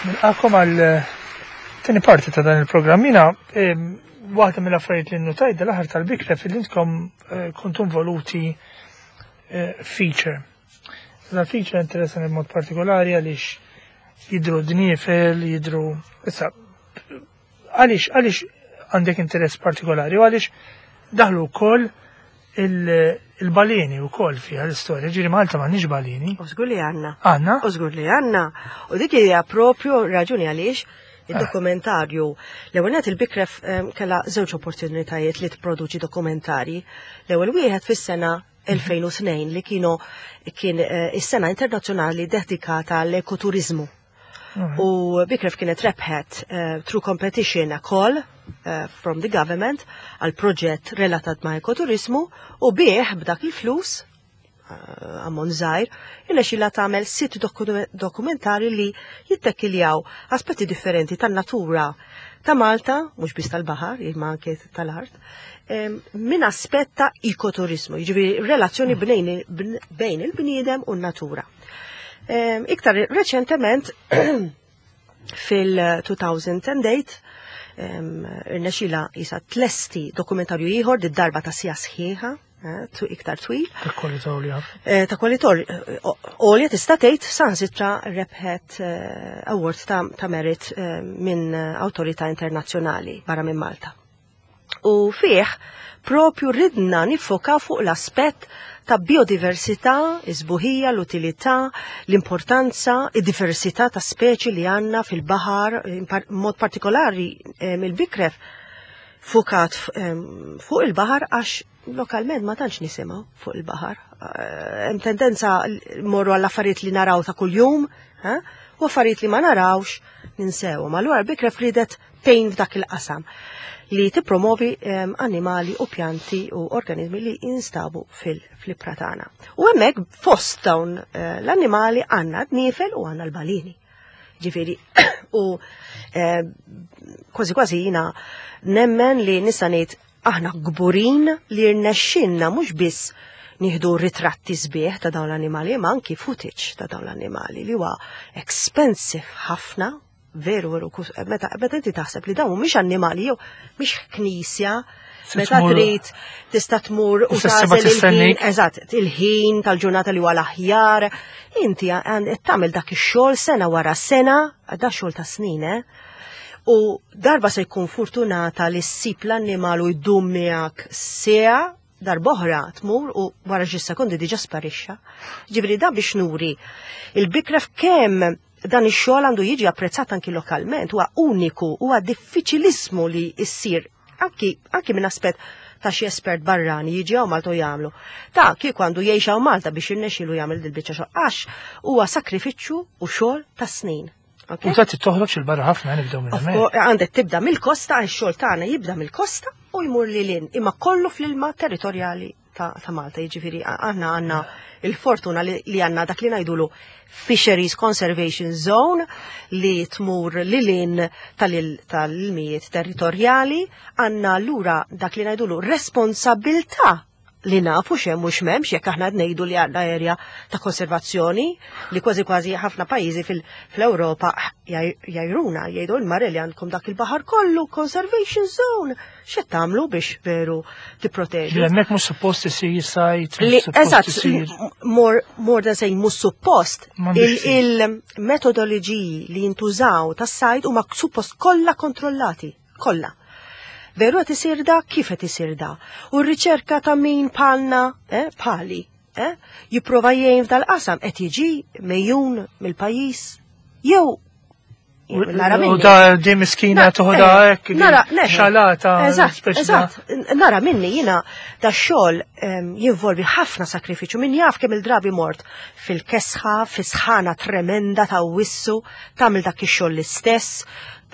Nilqakom għal tieni parti ta' dan il-programm. Jiena waħda mill-affarijiet li nnotajt dal-aħħar tal-Bikref li intkom eh, kontu involuti eh, feature. Dan feature interessanti b'mod partikolari għaliex jidru dniefel, jidru. Issa, għaliex għaliex għandek interess partikolari u għaliex daħlu wkoll il-baleni wkoll fiha l-istorja? Ġifieri Malta m'għandniex baleni.
U żgur li għandna.
Għandna?
U żgur li għandna. U dik hija propju raġuni għaliex il-dokumentarju. L-ewwel nett, il-Bikref kellha żewġ opportunitajiet li tipproduċi dokumentari. L-ewwel wieħed fis-sena elfejn u tnejn li kienu kien eh, is-sena internazzjonali dedikata l-ekoturizmu. U Bikref kienet rebħet uh, through competition a call uh, from the government għal proġett relatat ma' ekoturizmu u bieħ b'dak il-flus eh, ammont żgħir, irnexxila tagħmel sitt dokumentari li jittekiljaw aspetti differenti tan-natura ta' Malta, mhux biss tal-baħar, imma anke tal-art, minn aspett ta' ekoturizmu, jiġifieri relazzjoni bejn il-bniedem u n-natura. Iktar reċentement fil-elfejn u tmienja irnexxila jisa tlesti dokumentarju ieħor, darba ta' siegħa sħiħa, eh, iktar twil.
Ta' kwalità għolja.
Eh, ta' kwalità għolja, tista' tgħid saħansitra rebħet eh, award ta', ta merit minn awtorità internazzjonali barra minn Malta. U fih propju ridna nifoka fuq l-aspett ta' biodiversità, is-sbuħija, l-utilità, l-importanza, id-diversità ta' speċi li għanna fil-baħar, mod partikolari il-Bikref fukat fuq il-baħar, għax lokalment ma tantx nisimgħu fuq il-baħar. Eh, hemm tendenza morru għall affarijiet li naraw ta' kuljum, eh, u affarijiet li ma narawx ninsewhom. Allura Bikref ridet tgħin f'dak il-qasam li tippromovi um, animali u pjanti u organizmi li jinstabu fil-ibħra tagħna. U hemmhekk fost dawn uh, l-annimali għandna d-nifel u għandna l-balini. Ġifieri, u uh, kważi kważi jina nemmen li nista' ngħid aħna kburin li rnexxinna mhux biss nieħdu ritratti sbieħ ta' dawn l-annimali, ma anki footage ta' dawn l-annimali li huwa expensive ħafna, veru, veru, meta meta inti taħseb li dawn mhumiex annimali jew mhix knisja, meta trid tista' tmur
u tagħżel
il-ħin, eżatt, il-ħin tal-ġurnata li huwa l-aħjar, inti qed tagħmel dak ix-xogħol sena wara sena, da xogħol ta' snin, eh? U darba se jkun fortunata li ssib l-annimal u jdum miegħek siegħa, darb'oħra tmur u wara xi sekondi diġà sparixxa. Ġifieri da biex nuri il-Bikref kemm dan ix-xogħol għandu jiġi apprezzat anki lokalment, huwa uniku, huwa diffiċilissmu li issir anki, anki minn aspett ta' xi espert barrani jiġi hawn Malta u jagħmlu. Ta' kieku għandu jgħix hawn Malta biex jirnexxielu jagħmel dil-biċċa xogħol, għax huwa sakrifiċċju u xogħol ta' snin.
U ta' toħroġ il-barra ħafna, nibdew minn
hemmhekk. Għandek tibda mill-kosta, għax-xogħol tagħna jibda mill-kosta u jmur lil hinn, imma kollu fl-ilma territorjali ta', ta Malta, jiġifieri aħna għandna il-fortuna li, li għandna dak li ngħidulu Fisheries Conservation Zone li tmur lil hinn tal-ilmijiet territorjali, għandna allura dak li ngħidulu responsabilta li nafu x'hemm mhux m'hemmx, jekk aħna ngħidu li għandna area ta' konservazzjoni li kważi kważi ħafna pajjiżi fil-Ewropa jgħajruna, jgħidu l-mare li għandkom dak il-baħar kollu conservation zone. X'qed tagħmlu biex veru tipproteġu?
Li hemmhekk mhux suppost isir sajd.
Li eżatt, more, more than saying mhux suppost, il-metodoloġiji li jintużaw tas-sajd huma suppost kollha kontrollati, kollha. Veru qed isir da, kif qed isir da? U r-riċerka ta' min palna, eh, pali, eh, jipprova jgħin f'dal-qasam qed jiġi mejjun mill-pajjiż jew
nara minni. U da di miskina toħodha eh, hekk.
Nara,
xalata.
Eżatt, eżatt. Nara minni jiena da xogħol jinvolvi ħafna sakrifiċċju. Min jaf kemm il-drabi mort fil-kesħa, fis-sħana tremenda ta' wissu, tagħmel dak ix-xogħol l-istess,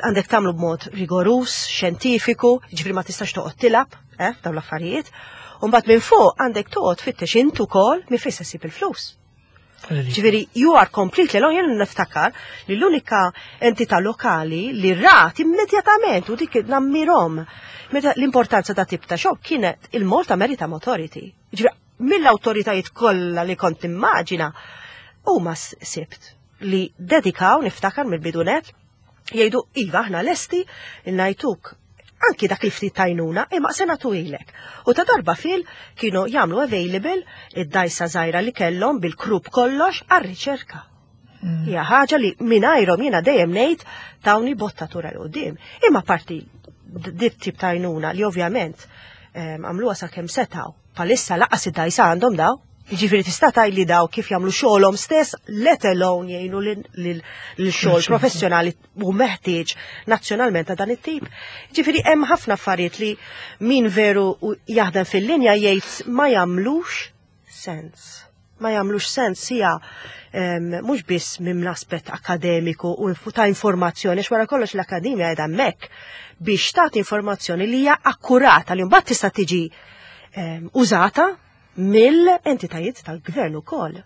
għandek tagħmlu b'mod rigorus, xjentifiku, ġifieri ma tistax toqgħod tilgħab, eh, dawn l-affarijiet. U mbagħad minn fuq għandek toqgħod fittex int ukoll minn fejn se ssib il-flus. Ġifieri, you are completely alone. Jien niftakar li l-unika entità lokali li rat immedjatament u dik nammirhom meta l-importanza ta' tip ta' xogħol kienet il-Malta Maritime Authority. Ġifieri, mill-awtoritajiet kollha li kont immaġina, huma sibt li dedikaw, niftakar mill-bidunet, jgħidu iva, aħna lesti ngħajtuk anki dak il-ftit tajnuna, imma se nagħtu ilek. U ta' darba fil kienu jagħmlu available id-dajsa żgħira li kellhom bil-crew kollox għar-riċerka. Mm. Hija ħaġa li mingħajrhom jiena dejjem ngħid tawni bottatura 'l quddiem. Imma parti dit tip ta' għajnuna li ovvjament għamluha sa kemm setgħu. Palissa lanqas id-dajsa għandhom daw. Ġifieri tista' tgħid li daw kif jagħmlu xogħolhom stess, let alone jgħinu lil xogħol professjonali u meħtieġ nazzjonalment ta' dan it-tip. Ġifieri hemm ħafna affarijiet li min veru jaħdem fil-linja jgħid ma jagħmlux sens. Ma jagħmlux sens hija mhux biss minn l-aspett akademiku u ta' informazzjoni, għax wara kollox l-akademja qiegħda hemmhekk biex tagħti informazzjoni li hija akkurata li mbagħad tista' tiġi użata. Mill-entitajiet tal-gvern ukoll.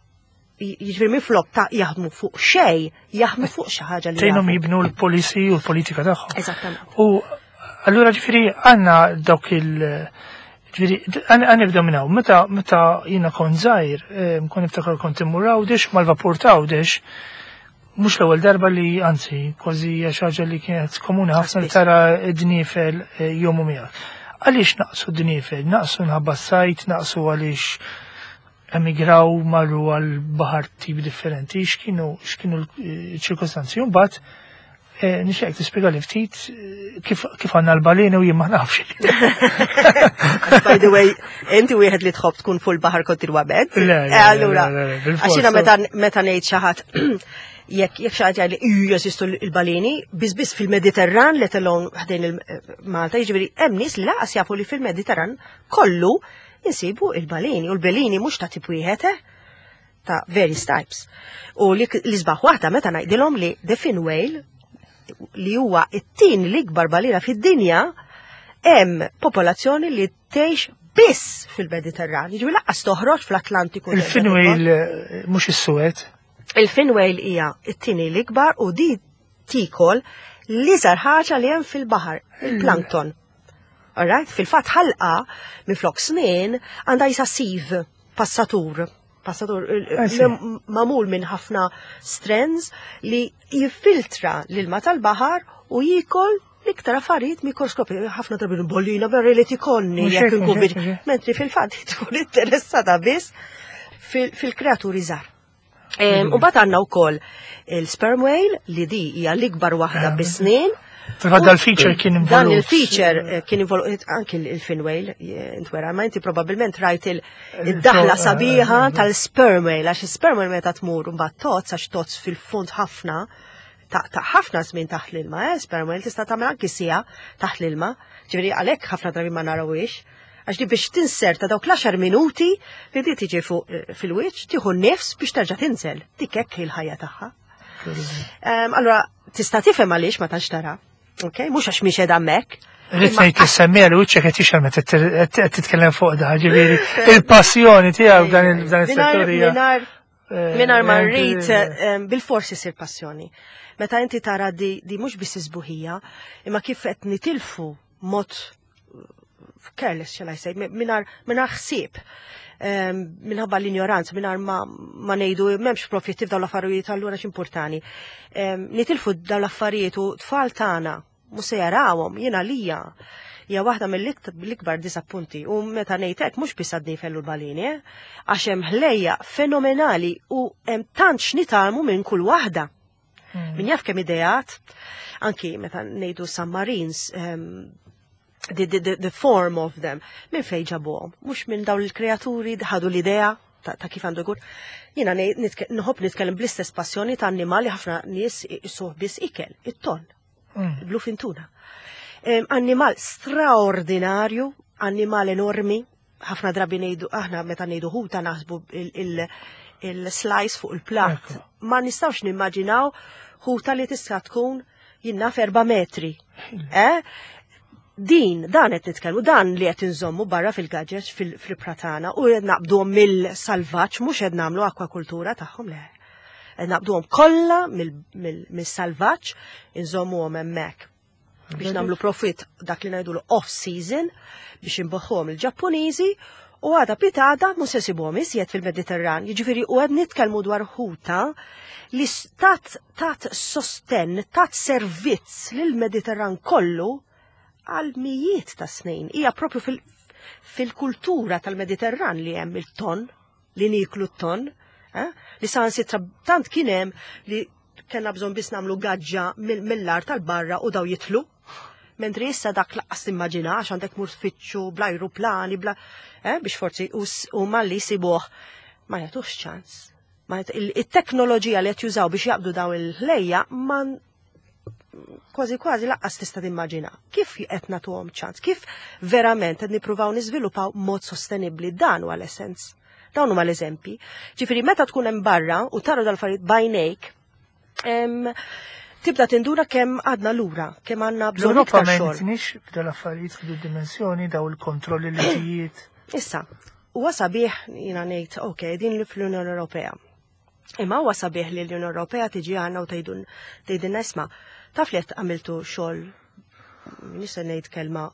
Jiġifieri minflok ta' jaħdmu fuq xej, jaħdmu fuq xi ħaġa li
tgħinhom jibnu l-policy u l-politika tagħhom.
Eżattament.
U allura ġifieri għandna dawk il- Ġifieri, ħa nibdew minn hawn, meta meta jiena kont żgħir, kont niftakar kont immur Għawdex mal-vapur ta' Għawdex, mhux l-ewwel darba li, anzi, kważi hija xi ħaġa li kienet komuni ħafna li tara d-dniefel jgħumu miegħek. Għaliex naqsu d-dniefel? Naqsu minħabba s-sajd, naqsu għaliex emigraw, marru għal baħar tip differenti, x'kienu x'kienu l-ċirkostanzi? Mbagħad nixtieq tispjega li ftit kif kif għandna l-baleni u jien ma nafx.
By the way, inti wieħed li tħobb tkun fuq il-baħar kontinwament.
Le, le,
Allura,
le, le, bil-fors.
Għax jiena meta meta ngħid xi ħadd jekk jekk xi ħadd jgħid li jeżistu l-baleni, biss biss fil-Mediterran, let alone ħdejn il-Malta, jiġifieri hemm nies li lanqas jafu li fil-Mediterran kollu insibu il-baleni, u l-baleni mhux ta' tip wieħed, eh, ta' various types. U li l-isbaħ waħda meta ngħidilhom li the fin whale, li huwa it-tieni l-ikbar balena fid-dinja, hemm popolazzjoni li tgħix biss fil-Mediterran. Jiġifieri lanqas toħroġ fl-Atlantiku.
Il-fin whale mhux is-suwed.
Il-fin whale hija it-tieni l-ikbar u di tikol l-iżgħar ħaġa li hemm fil-baħar, il-plankton. Alright? Fil-fatt ħalqa minflok snien għandha qisha sieve, passatur. Passatur magħmul minn ħafna strands li jiffiltra l-ilma tal-baħar u jikol l-iktar affarijiet mikroskopi. Ħafna drabi balena berri li tikolni jekk inkun. Mentri fil-fatt tkun interessata biss fil-kreaturi żgħar. U mbagħad għandna wkoll il-sperm whale, li di hija l-ikbar waħda bis-snin.
Fil-fatt dal-feature kien involut.
Dan il-feature eh, kien involut anki il-fin whale, eh, intwera, ma inti probabbilment rajt il-daħla sabiħa tal-sperm whale, għax il-sperm whale meta tmur mbagħad tgħodd, għax tgħodd fil-fond ħafna, ta' ħafna żmien taħt l-ilma, eh, sperm whale tista' tagħmel anki siegħa taħt l-ilma, ġifieri għalhekk ħafna drabi ma narawhiex, għax di biex tinserta dawk l-għaxar minuti li di tiġi fuq eh, fil-wiċċ, tieħu nifs biex terġa' tinżel. Dik hekk il-ħajja tagħha. Allora, tista' tifhem għaliex ma tantx tara. Ok, mhux għax mhix qiegħda hemmhekk.
Rrid ngħid li semmija li wiċċek qed jixgħel meta qed titkellem fuq da, ġifieri il-passjoni tiegħek f'dan is-settur hija.
Mingħajr ma rrid, bil-forsi sir passjoni. Meta inti tara di, di mhux biss isbuħija, imma kif qed nitilfu mod careless, shall I say, mingħajr mingħajr ħsieb, minħabba l-ignoranza, mingħajr ma, ma ngħidu m'hemmx profitti f'dawn l-affarijiet, allura x'importani. Nitilfu dawn l-affarijiet u tfal tagħna mhux se jarawhom. Jiena lija hija waħda mill-ikbar disappunti, u meta ngħid hekk mhux biss għad-dniefel u l-balini, eh? Għax hemm ħlejja fenomenali u hemm tant x'nitgħallmu minn kull waħda. Hmm. Min jaf kemm ideat, anki meta ngħidu submarines, um, the, the, the, the form of them, minn fejn ġabuhom, mhux minn dawn il-kreaturi ħadu l-idea ta', ta kif għandu jkun. Jiena nħobb nitkellem bl-istess passjoni ta' annimali ħafna nies isuh biss ikel, it-ton, mm. bluefin tuna. Annimal straordinarju, annimal enormi, ħafna drabi ngħidu aħna meta ngħidu ħuta naħsbu il-slice fuq il-plat. Ma nistgħux nimmaġinaw ħuta li tista' tkun jiena erba' metri. Eh? Din, dan qed nitkellmu, dan li qed inżommu barra fil-gaġeġ fil-pratana u qed naqbduhom mill-salvaġġ, mhux qed nagħmlu akwakultura tagħhom, le. Qed naqbduhom kollha mill-salvaġġ, inżommuhom hemmhekk biex nagħmlu profit, dak li ngħidu off-season, biex inbigħuhom il-Ġappuniżi, u għada pitgħada mhux se sibuhom iżjed fil-Mediterran. Jiġifieri u qed nitkellmu dwar ħuta li tat tat sosten, tat servizz lill-Mediterran kollu għal mijiet ta' snin. Hija propju fil-kultura tal-Mediterran li hemm il-ton, li niklu t-ton, eh? Li saħansitra tant kien hemm li kellna bżonn biss nagħmlu gaġġa mill-art tal-barra u daw jitlu. Mentri issa dak lanqas timmaġina, għax għandek mur tfittxu bla ajruplani, bla, eh, biex forsi u malli jsibuh ma jagħtux ċans. Il-teknoloġija li qed jużaw biex jaqbdu daw il-ħlejja ma kważi kważi lanqas tista' timmaġina. Kif qed nagħtuhom ċans? Kif verament qed nippruvaw niżviluppaw mod sostenibbli? Dan huwa l-essens. Dawn huma l-eżempji. Ġifieri meta tkun hemm barra u tara dal-affarijiet b'għajnejk, tibda tinduna kemm għadna lura, kemm għandna bżonn
L-Ewropa
iktar
ma
xogħol.
jgħinitniex f'dal affarijiet f'din dimensjoni, daw il-kontrolli, liġijiet.
Issa, Huwa sabiħ jiena ngħid, ok, din li fl-Unjoni Ewropea. Imma huwa sabiħ li l-Unjoni Ewropea tiġi għandna u tgħidun tgħidilna isma' taf li qed għamiltu xogħol nista' ngħid kelma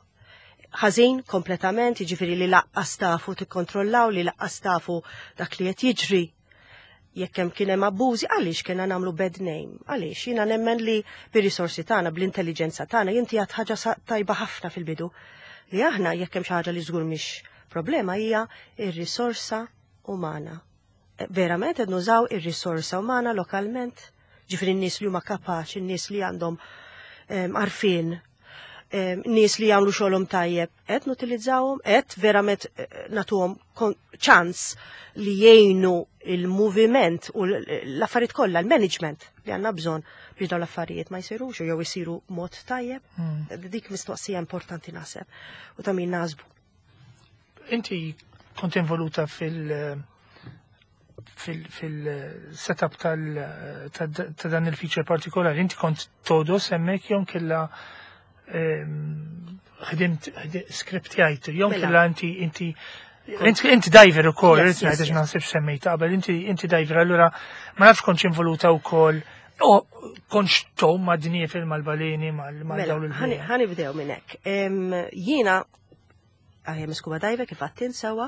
ħażin kompletament, jiġifieri li lanqas tafu tikkontrollaw, li lanqas tafu dak li qed jiġri jekk hemm kien hemm abbużi, għaliex kienna nagħmlu bad name? Għaliex jiena nemmen li bir-risorsi tagħna, bl-intelligenza tagħna, inti għedt ħaġa sa- tajba ħafna fil-bidu. Li aħna jekk hemm xi ħaġa li żgur mhix problema hija ir-risorsa umana. Eh, Verament qed nużaw ir-risorsa umana lokalment, ġifieri n-nies li huma kapaċi, n-nies li għandhom em, għarfien, em, nies li jagħmlu xogħolhom tajjeb, qed nutilizzawhom, qed verament eh, nagħtuhom kon- ċans li jgħinu il-moviment u l- l-affarijiet kollha, l-management li għandna bżonn biex dawn l-affarijiet ma jsirux jew isiru mod tajjeb. Dik mistoqsija importanti naħseb u ta' min naħsbu.
Inti kont involuta fil- fil- fil-setup tal ta' ta' dan il-feature partikolari, inti kont togħdos hemmhekk jew kella ehm, ħdimt ħdi- scriptjajtu, jew
Mela.
kella inti inti Inti inti diver ukoll,
Yes,
irrid
yes,
ngħid
yes.
naħseb semmejt qabel, inti inti diver, allura ma nafx kontx involuta wkoll o kontx tgħum ma' dniefel mal-baleni mal mal
Mela,
dawn
ħani
il
ħa nibdew minn hekk. Em, Jiena għajem scuba diver kif għedt sewwa,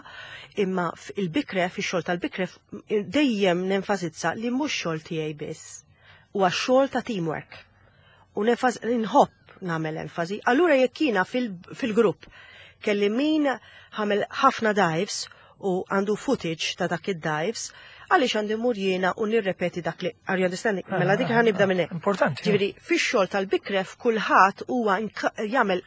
imma il-BICREF, ix-xogħol tal-BICREF, dejjem nenfasizza li mhux xogħol tiegħi biss. Huwa xogħol ta' teamwork. U nenfas nħobb nagħmel enfasi. Allura jekk jiena fil-grupp kelli min għamel ħafna dives u għandu footage ta' dak id-dives, għaliex għandi mur jiena u nirrepeti dak li, are you understanding? Mela dik ħa nibda minn hekk.
Importanti.
Ġifieri, fix-xogħol tal-BICREF kulħadd huwa jagħmel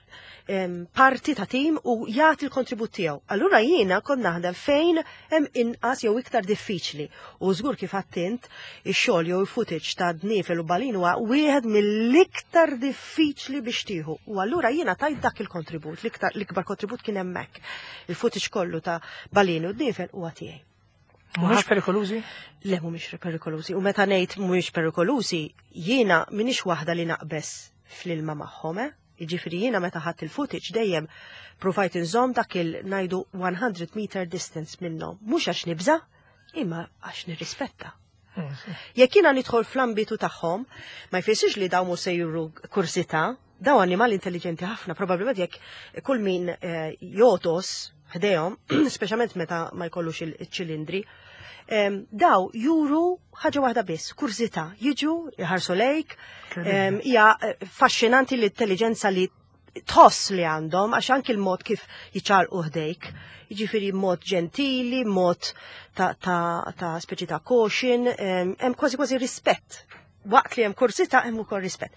parti ta' tim u jagħti l-kontribut tiegħu. Allura jiena kont naħdem fejn hemm inqas jew iktar diffiċli. U żgur kif għedt int ix-xogħol jew il-footage ta' dniefel u balin huwa wieħed mill-iktar diffiċli biex tieħu. U allura jiena tajt dak il-kontribut, l-iktar l-ikbar kontribut kien hemmhekk. Il-footage kollu ta' balin u dniefel huwa tiegħi.
Mhumiex perikolużi?
Le, mhumiex perikolużi. U meta ngħid mhumiex perikolużi, jiena m'iniex waħda li naqbeż fl-ilma magħhom, eh? Jiġifieri jiena meta ħadt il-footage dejjem provajt inżomm dak il ngħidu one hundred meter distance minnhom. Mhux għax nibża, imma għax nirrispetta. Jekk jiena nidħol fl-ambitu tagħhom, ma jfissirx li dawn mhux se juru kurżità, daw annimali intelligenti ħafna, probabbilment jekk kull min eh, jogħdos ħdejhom, speċjalment meta ma jkollux il-ċilindri, daw juru ħaġa waħda biss, kurżità, jiġu, jħarsu lejk, hija eh, faxxinanti l-intelligenza li tħoss li għandhom, għax anki l-mod kif jiċċaqilqu ħdejk, jiġifieri mod ġentili, mod ta', ta, ta' speċi ta' caution, hemm kważi kważi rispett. Waqt li hemm kurżità hemm ukoll rispett.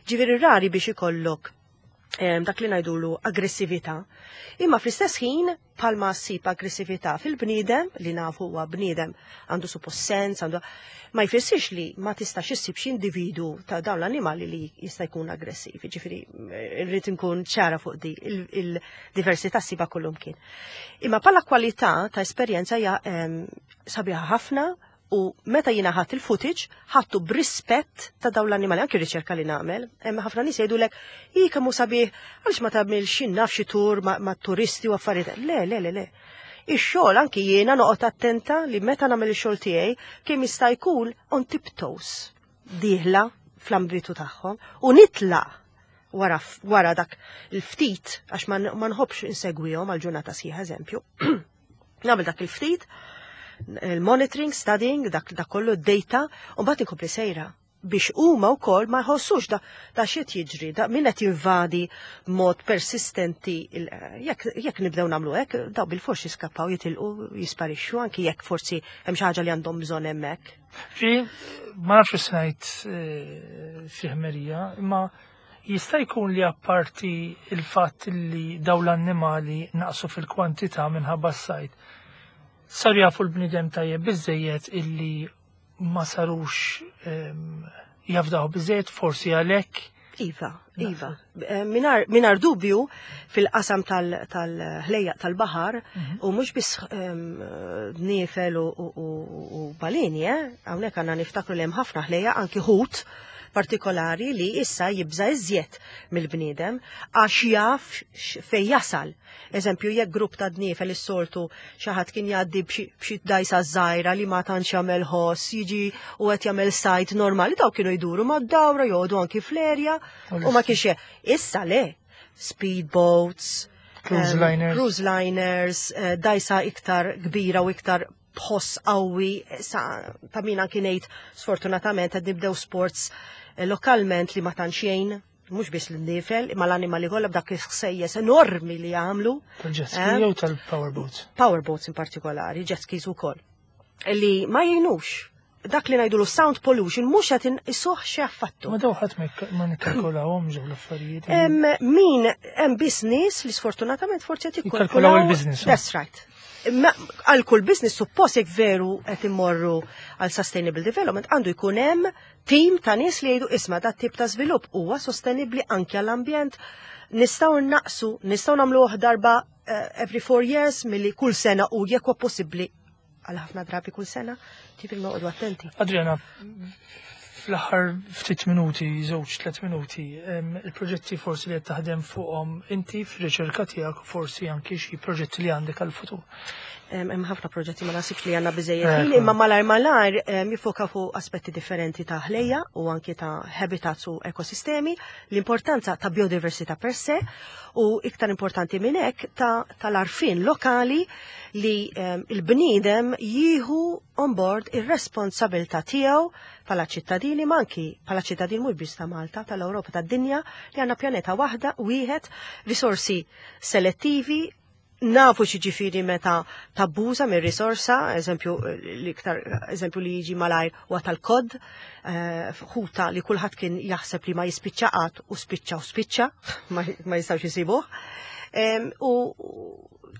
Ġifieri rari biex ikollok dak li ngħidulu aggressività. Imma fl-istess ħin bħalma ssib aggressività fil-bniedem, li nafu huwa bniedem għandu suppost sens, għandu ma jfissirx li ma tistax issib xi individu ta' dawn l-annimali li jista' jkun aggressiv. Ġifieri irrid inkun ċara fuq di il-diversità ssibha kullimkien. Imma bħala kwalità ta' esperjenza hija sabiħa ħafna u meta jiena ħadt il-footage, ħadtu b'rispett ta' dawn l-annimali, anki riċerka li nagħmel. Hemm ħafna nies jgħidulek, "Hi kemm hu sabiħ, għaliex ma tagħmilx naf xi tur ma', ma turisti u affarijiet." Le, le, le, le. Ix-xogħol anki jiena noqgħod attenta li meta nagħmel ix-xogħol tiegħi kemm jista' jkun on tiptoes dieħla fl-ambitu tagħhom u nitlaq wara, wara dak il-ftit għax ma ma nħobbx insegwihom għal ġurnata sħiħa eżempju. Nagħmel dak il-ftit, il-monitoring, studying, dak, dak kollu data, u mbagħad inkompli sejra biex huma wkoll ma jħossux da, da x'qed jiġri, da min qed jinvadi mod persistenti, jekk jekk nibdew nagħmlu hekk, daw bil-forsi jiskappaw jitilqu jisparixxu anki jekk forsi hemm xi ħaġa li għandhom bżonn hemmhekk.
Fi, ma nafx ngħid eh, xi ħmerija, imma jista' jkun li apparti il-fatt li daw l-annimali naqsu fil-kwantità minħabba s-sajd. Saru jafu l-bniedem tajjeb biżejjed illi ma sarux em, jafdaw biżejjed forsi għalhekk.
Iva, iva. Eh, Mingħajr, mingħajr dubju fil-qasam tal-ħlejjaq tal-baħar u mhux biss em, dniefel u, u, u, u balini, eh? Hawnhekk għandna niftakru li hemm ħafna ħlejjaq anki ħut, partikolari li issa jibża iżjed mill-bniedem għax jaf fej jasal. Eżempju, jekk grupp ta' dniefel is-soltu xi ħadd kien jgħaddi b'xi dajsa żgħira li ma tantx jagħmel ħoss, jiġi u qed jagħmel sajd normali, daw kienu jduru mad-dawra, joqogħdu anki fl-erja u ma kienx issa le speedboats,
cruise liners,
cruise liners, eh, dajsa iktar kbira u iktar b'ħoss qawwi, sa ta' min anki ngħid sfortunatament qed nibdew sports eh, lokalment li ma tantx jgħin, mhux biss l-nifel, imma l-animali kollha b'dak il-ħsejjes enormi li jagħmlu.
Tal-jet ski eh? jew tal-powerboats?
Powerboats in partikolari, jet skis ukoll. Li ma jgħinux dak li ngħidu sound pollution mhux qed isuħ xi affattu.
Ma daw ħadd ma nikkalkulawhom ġew l-affarijiet.
Min hemm biss nies li sfortunatament forsi qed
jikkalkulaw il-business.
That's right. Għal kull business suppost jekk veru qed immorru għal sustainable development għandu jkun hemm team ta' nies li jgħidu isma' dat tip ta' żvilupp huwa sostenibbli anke għall-ambjent. Nistgħu naqsu, nistgħu nagħmluh darba uh, every four years milli kull sena u jekk huwa possibbli għal ħafna drabi kull sena, ġifieri noqogħdu attenti.
Adriana, fl-aħħar ftit minuti, żewġ tliet minuti, il-proġetti forsi li qed taħdem fuqhom inti fir-riċerka tiegħek forsi anki xi proġetti li għandek għal-futur.
Hemm ħafna proġetti ma nasibx li għandna biżejjed ħin, imma malajr malajr jifoka fuq aspetti differenti ta' ħlejja u anki ta' habitats u ekosistemi, l-importanza ta' biodiversità per se u iktar importanti minn hekk tal-għarfien lokali li il-bniedem jieħu on board ir-responsabilità tiegħu bħala ċittadini ma anki bħala ċittadini mhux biss ta' Malta, tal-Ewropa, tad-dinja li għandna pjaneta waħda wieħed, risorsi selettivi, nafu x'jiġifieri meta tabbuża minn risorsa, eżempju l-iktar eżempju li jiġi malajr huwa tal-kod, eh, ħuta li kulħadd kien jaħseb li ma jispiċċa qatt u spiċċa u spiċċa, ma jistgħux isibuh. U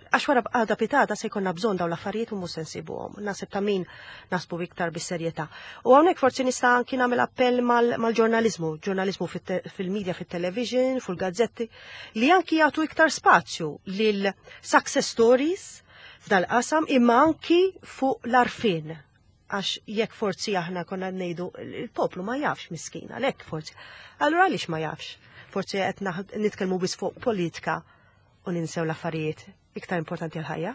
għax wara għada pitgħada se jkollna bżonn dawn l-affarijiet u mhux se nsibuhom. Naħseb ta' min nasbu iktar bis-serjetà. U hawnhekk forsi nista' anki nagħmel appell mal-ġurnaliżmu, ġurnaliżmu fil-medja, fit-television, fil-gazzetti, li anki jagħtu iktar spazju lil success stories f'dal-qasam imma anki fuq l-għarfien għax jekk forsi aħna konna ngħidu il-poplu ma jafx miskin, għalhekk forsi. Allura għaliex ma jafx? Forsi qed nitkellmu biss fuq politika u ninsew l-affarijiet iktar importanti l-ħajja.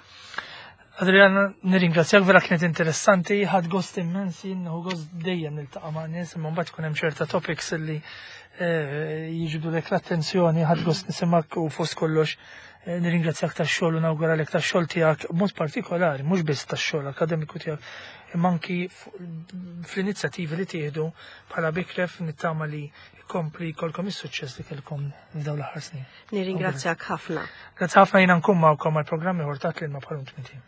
Adriana, nirringrazzjak vera kienet interessanti, ħadt gost immens, jien gost dejjem niltaqa' ma' nies, imma mbagħad ikun hemm ċerta topics li eh, jiġbdu lek l-attenzjoni, ħadt gost nisimak u fost kollox eh, nirringrazzjak tax-xogħol u nawguralek tax-xogħol tiegħek b'mod partikolari, mhux biss tax-xogħol akademiku tiegħek, imma anki fl-inizjattivi li tieħdu bħala BICREF nittama li kompli jkollkom is-suċċess li kellkom f'dawn l-aħħar snin.
Nirringrazzjak ħafna.
Grazzi ħafna jiena nkun magħkom għal programm ieħor ta' Klima bħal tminti.